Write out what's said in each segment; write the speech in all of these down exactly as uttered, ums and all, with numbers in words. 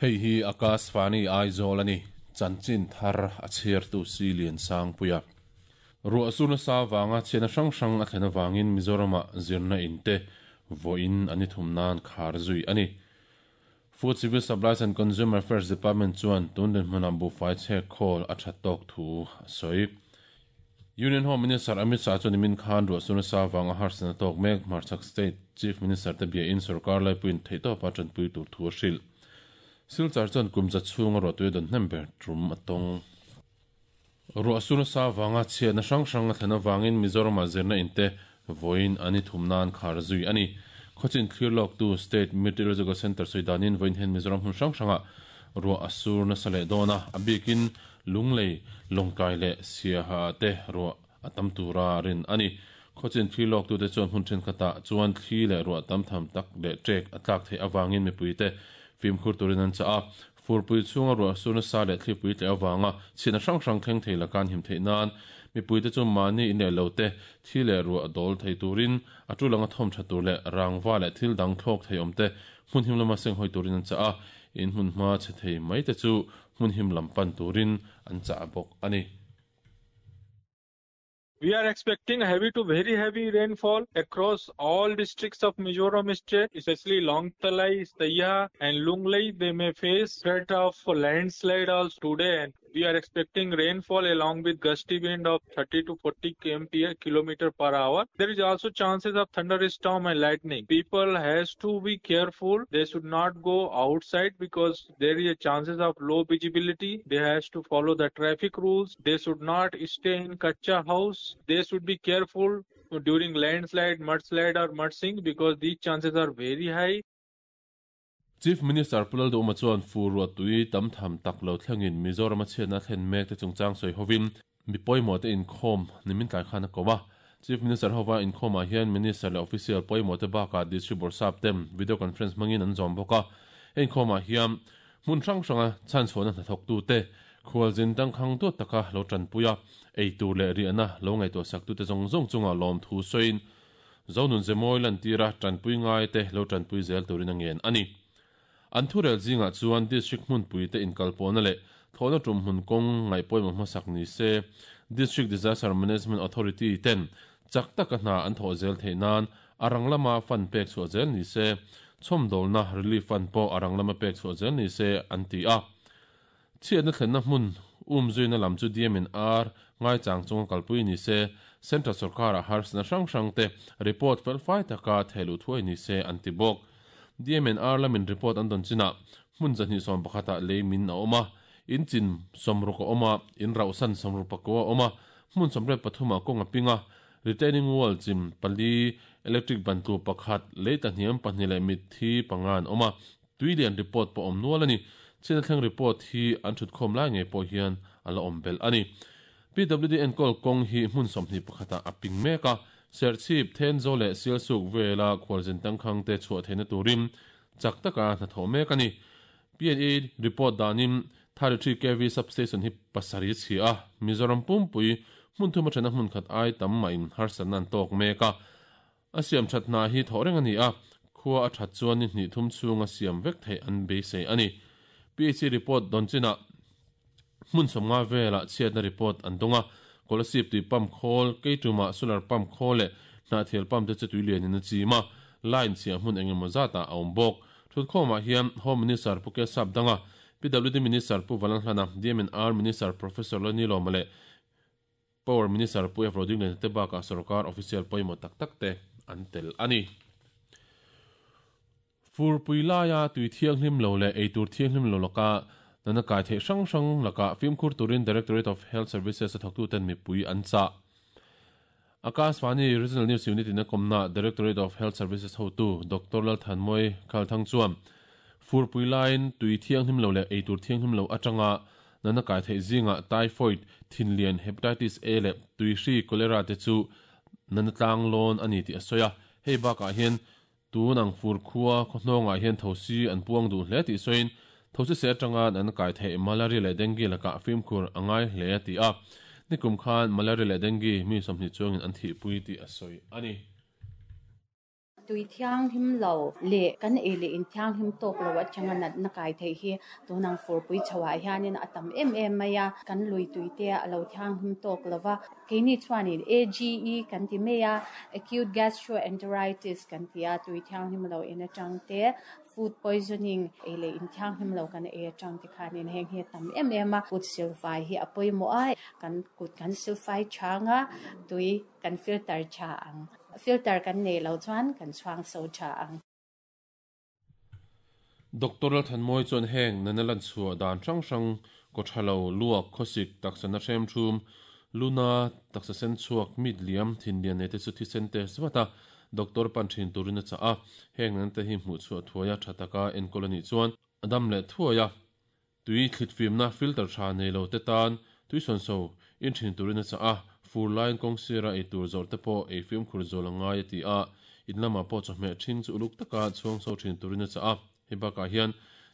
Hei hi Akashvani Aizawl ani chanchin thar a chhiartu si lian sang puia. Ruah sur nasa wanga chena hrang hrang a thlen awangin Mizorama zirna in te voin ani thum nan khar zui ani. Food Civil Supplies and Consumer Affairs Department chuan tun din hmuna bu fai che khawl a that tok thu soi. Union Home Minister Amit Shah chuan min khan ruah sur nasa wanga harsana tok mek Hmarchhak State Chief Minister te bia in sarkar lai puin theito pa tran pui tur thu hril. Silchar chuan kumza chhunga ro tui don hnember trum atong. Ruah sur nasa wanga chhiatna hrang hrang a thlen awangin Mizorama zirna in te voin ani thumnan khar zui ani. Khawchin thlir lawk tu State Meteorological Center soidanin voin hen Mizoram hmun hrang hranga ruah a sur nasa leh dawna a bikin lunglei lawngkai leh siaha te ruah a tam tura rin ani. Khawchin thlir lawk tu te chuan hmun thenkhatah chuan thli leh ruah tam tham tak leh ṭek a tlak theih awangin mipui te fimkhur turin an cha a. Furpui chhunga ruah sur nasa leh thlipui tle awanga chhina hrang hrang thleng thei lakan him theih nan mipui te chu mani in leh lo te thi leh ruah dawl thei turin a tulanga thawm tha tur leh rangwa leh thil dang thlawk thei awm te hmun him lama seng hoi turin an cha a. In hmun hma che thei mai te chu hmun him lam pan turin an cha bawk ani. We are expecting heavy to very heavy rainfall across all districts of Mizoram state, especially Lawngtlai, Saiha and Lunglei. They may face threat of landslide also today. And we are expecting rainfall along with gusty wind of thirty to forty kilometer per hour. There is also chances of thunderstorm and lightning. People has to be careful. They should not go outside because there is a chances of low visibility. They has to follow the traffic rules. They should not stay in kacha house. They should be careful during landslide, mudslide or mudsink because these chances are very high. Chief Minister Pulal Duma chuan fu ruah tui tam tham tak lo thlengin Mizoram a chhiatna thlen mek te chungchang sawi hovin mi pawimawh te inkhawm nimin tlai khan a ko a. Chief Minister hova inkhawmah hian Minister leh official pawimawh te bakah district bawrhsap tem video conference hmangin an zawm bawk a. Inkhawmah hian hmun hrang hranga chhan chhuahna hnathawk tu te khualzin tangkhang duat taka lo tanpuia ei tur leh riahna lo ngaihtuah sak tu te zawng zawng chunga lawm thu sawiin zonun zemawi lan tira tanpui ngai te lo tanpui zel turin a ngen ani. An thurel zinga chuan district hmunpui te inkalpawhna leh thawhna tum hmun kawng ngaihpawimawh hmasak ni se District Disaster Management Authority ten chak taka hna an thawh zel theih nan a rang lama fund pek chhuah zel ni se chhawmdawlna relief fund pawh a rang lama pek chhuah zel ni se an ti a. Chhiatna thlenna hmun um zuina lam chu D M N R ngai chang chunga kalpui ni se Central Sarkar a harsna hrang hrang te report fel fai taka theilu thuai ni se an ti bawk. D M N R lamin report an don china hmun zahnih sawm pakhata lei min a awm a, in chin sawmruk a awm a, in rauhsan sawmruk pakua a awm a, hmun sawmriat pathum ah kawng a ping a, retaining wall chim pali electric ban tu pakhat lei ta hniam pahnih leh mitthi panga an awm a, tuilian report pawh awm nual ani. Chhina thleng report hi an thut khawm lai ngei pawh hian a la awm belh ani. P W D enkawl kawng hi hmun sawmhnih pakhata a ping mek a, serchhip Thenzawl leh Sialsuk vela khualzin tangkhang te chhuah theihna turin chak taka hnathawh mek ani. P N E report danin thirty-three K V substation hi pasarih chhi a, Mizoram pumpui hmun thuma thena hmun khat ai tam mah in harsatna an tawk mek a. A siam that hna hi thawh reng ani a, khua a that chuan ni hnih thum chhunga siam vek theih an beisei ani. P H C report don china hmun sawmnga vela chhiatna report an dawnga, kolasip tui pump khawl keituma solar pump khawl leh hnahthial pump te chu tui lianin a chim a, line chhia hmun engemaw zatah a awm bawk. Thutkhawmah hian Home Minister Pu Kesap Danga, P W D Minister Pu Valanhlana, D M N R Minister Professor Lani Lawma leh Power Minister Pu F Roding te bakah sarkar official pawimawh tak tak te an tel ani. Furpui laia tui thianghlim lo leh eitur thianghlim lo laka nana kai theih hrang hrang laka fimkhur turin Directorate of Health Services a thawktu ten mipui an cha. Akashvani Regional News Unit in a komna Directorate of Health Services hotu Doctor Lalthanmoi Khalthang chuan furpui lain tui thianghlim lo leh eitur thianghlim lo atanga nana kai theih zinga typhoid, thinlian, hepatitis A leh tuihri cholera te chu nana tlang lawn ani tih a sawi a. Hei bakah hian tunang fur khua khawhnawngah hian thosi an puang duh hle tih sawiin thosi se atanga an kai theih malaria leh dengue lakah fimkhur a ngai hle a ti a. Nikum khan malaria leh dengue mi sawmhnih chuangin an thihpui tih a sawi ani. Tui thiang him lo le kan e le in thiang him tok lo atanga nat na kai thei hi tunang fur pui chawa hianin atam em em maya kan lui tui te alo thiang him tok lova keini chuanin A G E kan ti meya acute gastroenteritis kan tia tui thiang him lo in atang te food poisoning e le in thiang him lo kan e atang te khanin heng hi tam em em a kut silfai hi apoi mo a kan kut kan silfai changa tui kan filter cha ang filter kan nei lo chuan kan chuang so cha ang. Doctor Thanmoi chuan heng nanalan chua dan rang rang ko thalo luak khosik taksana hrem thum luna taksa sen chuak mid liam thin lian ne te chu thi sen te swata doctor pan thin turina cha a heng nan te hi hmu chu thuaya thataka en colony chuan adam le thuaya tui thlit fim na filter tha nei lo te tan tui son so in thin turina cha a fur line kong sira e tur zor te po e film khur zolanga ti a inlama po chawhmeh thin chu uluk taka chhuang so thin turina cha a hibaka hian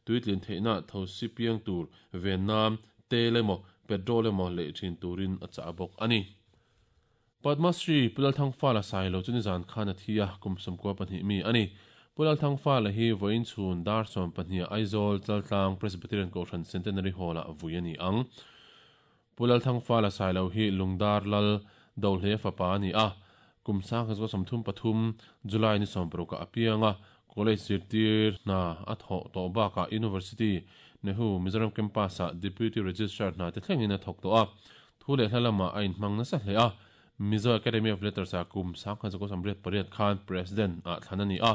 tuitlin theina thosi piang tur venam telemo petrol emo le thin turin a cha bok ani. Padma Shri Pulal Thangfala Sailo chuni zan khana thia kumsum ko pahnih mi ani. Pulal Thangfala hi voin chhun dar som pahnih Aizawl Chaltlang Presbyterian Kohhran Centenary Hall a vuiani ang. Pulal Thangfala Sailo hi Lungdar Lal Dolhe fapa ani a kumsa kha samthum pathum July ni sompruka apianga college zirtir na atho to ba ka University Nehu Mizoram campus a Deputy Registrar na te thlengin a thok to a thule hlalama a in hmang na sa hle a Mizo Academy of Letters a kum sang kha ko samret pariat khan president a thlanani a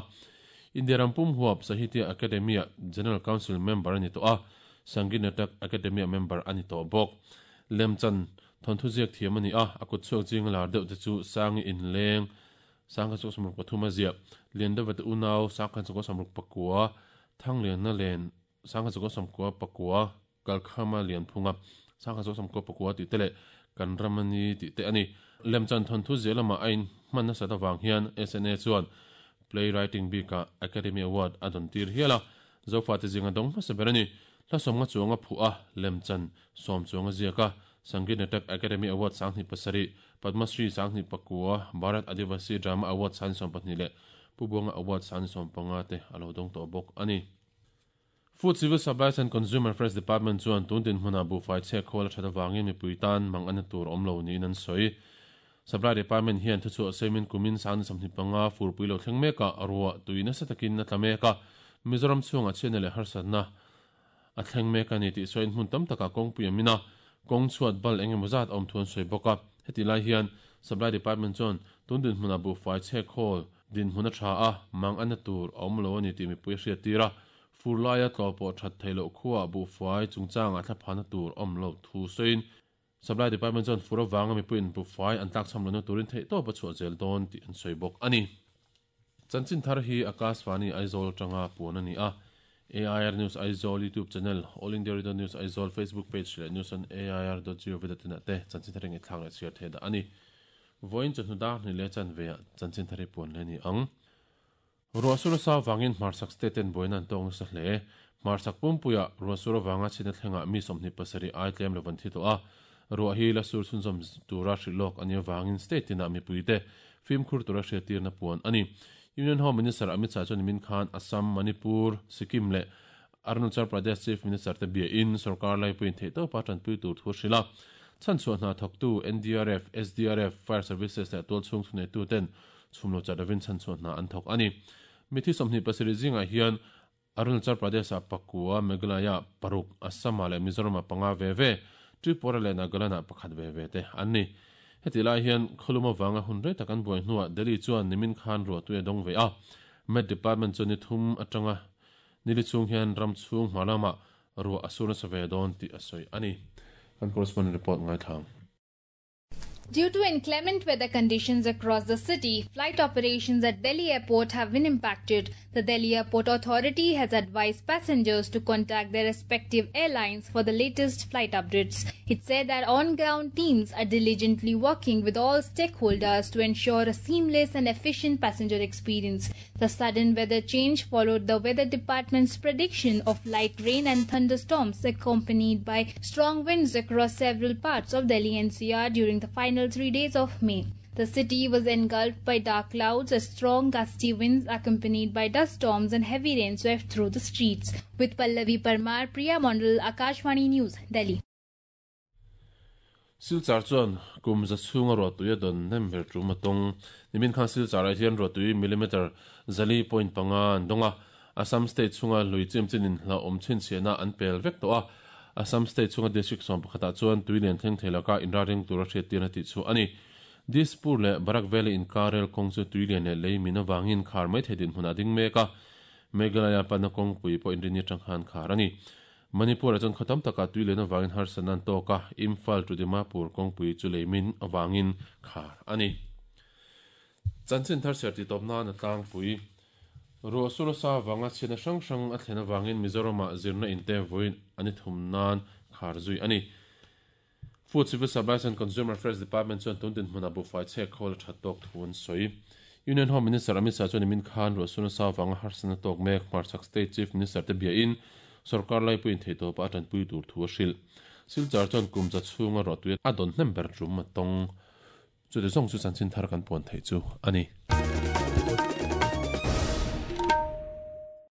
India rampum huap Sahitya Academy General Council member ani to a Sangeet Natak Academy member ani to bok lemchan thon thu ziak thiam ani a akut chuak jing lar deuh te chu sangi in leng sang kha chu samruk pathuma zia lian deuh te unau sang kha chu samruk pakua thang lian na len sang kha chu samkua pakua kalkhama lian phunga sang kha chu samkua pakua ti tele kan ramani ti te ani lemchan thon thu zelama ain hman na sata wang hian S N A chuan playwriting bika Academy Award adon tir hiala zofa te zinga dong ma seberani la somnga chuanga phu a lemchan som chuanga ziaka Sangeet Natak Academy Award sangni pasari Padma Shri sangni pakua Bharat Adivasi Drama Award san som pahnih le Pubonga Award san som panga te alo dong to bok ani. Food Civil Supplies and Consumer Affairs Department chuan tun din hmuna bu fai che khol thata wangin mi puitan mang an tur omlo ni nan soi Supply Department hian thu chu semin kumin san samni panga fur puilo thleng meka arwa tuina satakin na tlameka Mizoram chunga chenele harsatna a thleng meka ni ti soin hmun tam taka kong puiamina kong chuat bal engemawzat awm thuan soi bawk a heti lai hian Supply Department chuan tun din hmuna bu fai che khol din hmuna tha a mang an tur awm lo ani ti mi pui hriat tira furlaia tlo pawh that theilo khuwa bu fai chungchanga thlaphana tur awm lo thu soin Supply Department chuan fur awanga mi puiin bu fai an tlak cham lo turin theih tawp a chhuah zel dawn tih an sawi bawk ani. Chanchin thar hi Akashvani Aizawl tanga puan ani a A I R News Aizawl YouTube channel, All India Radio News Aizawl Facebook page le news on A I R dot gov dot in te chanchin thar nge thlak le share the da ani. Voin chu hnuda ni le chan ve chanchin thar puan le ni ang. Ruasura sa wangin marsak state ten boinan tong sa hle marsak pumpuya ruasura wanga china thlenga mi somni pasari ai tlem levan thi to a ruah hi la sur chunzom tura hrilok ani wangin state tina mi puite film khur tura hriatir na puan ani. Union Home Minister Amit Shah chuan min khan Assam, Manipur, Sikkim le Arunachal Pradesh Chief Minister te bia in sarkar lai puin thei to pa tan pui tur thu hrila chan chuan hna thok tu N D R F, S D R F, Fire Services le tual chung thunei tu ten chhumlo charavin chan chuan hna an thok ani. Mithi somni pasari zinga hian Arunachal Pradesh a Pakua, Meghalaya, Paruk, Assam le Mizoram panga ve ve Tripura le Nagaland pakhat ve ve te anni. Heti lai hian kholuma wanga hun rei takan buai hnuah Delhi chuan nimin khan ruah tui a dawng ve a Met Department chuan ni thum atanga nili chung hian ram chhung hmalama ruah a sur nasa ve dawn tih a sawi ani. Kan correspondent report ngai thlang. Due to inclement weather conditions across the city, flight operations at Delhi Airport have been impacted. The Delhi Airport Authority has advised passengers to contact their respective airlines for the latest flight updates. It said that on-ground teams are diligently working with all stakeholders to ensure a seamless and efficient passenger experience. The sudden weather change followed the weather department's prediction of light rain and thunderstorms accompanied by strong winds across several parts of Delhi N C R during the final three days of May. The city was engulfed by dark clouds as strong gusty winds accompanied by dust storms and heavy rain swept through the streets. With Pallavi Parmar, Priya Mondal, Akashvani News, Delhi. Silchar chuan kum za chhunga ruahtui a dawn nem ber tum a tawng. Nimin khan Silchar ah hian ruahtui millimeter zali point panga an dawng a. Assam state chhunga lui chim chinin hla awm chhinchhiahna an pel vek tawh a. Assam state chhunga district sawm pakhatah chuan tui lian thleng thei laka inra ring tura hriattirna tih chu a ni. Dispur leh Barak Valley inkar rel kawng chu tui lian leh lei min avangin khar mai thei dinhmun a ding mek a. Meghalaya panna kawngpui pawh inrini atang khan khar a ni. Manipur ah chuan khaw tam takah tui lian avangin harsatna an tawk a, Imphal to Dimapur kawngpui chu lei min avangin khar a ni. Chanchin thar chhiar tih tawp nan a tlangpui. Ruah sur nasa avanga chhiatna hrang hrang a thlen avangin Mizoramah zirna inte vawiin an i thum nan khar zui a ni. Food Civil Supplies and Consumer Affairs Department chuan tun dinhmunah buhfai chhek khawl a that tawk thu an sawi. Union Home Minister Amit Shah chuan nimin khan ruah sur nasa avanga harsatna tawk mek hmarchhak State Chief Minister te biain sarkar laipuiin theihtawpa a tanpui tur thu a hrilh. Silchar chuan kum za chhunga ruahtui a dawn hnem ber tum a tawng. Chuti zawng chu chanchin thar kan puan theih chu a ni.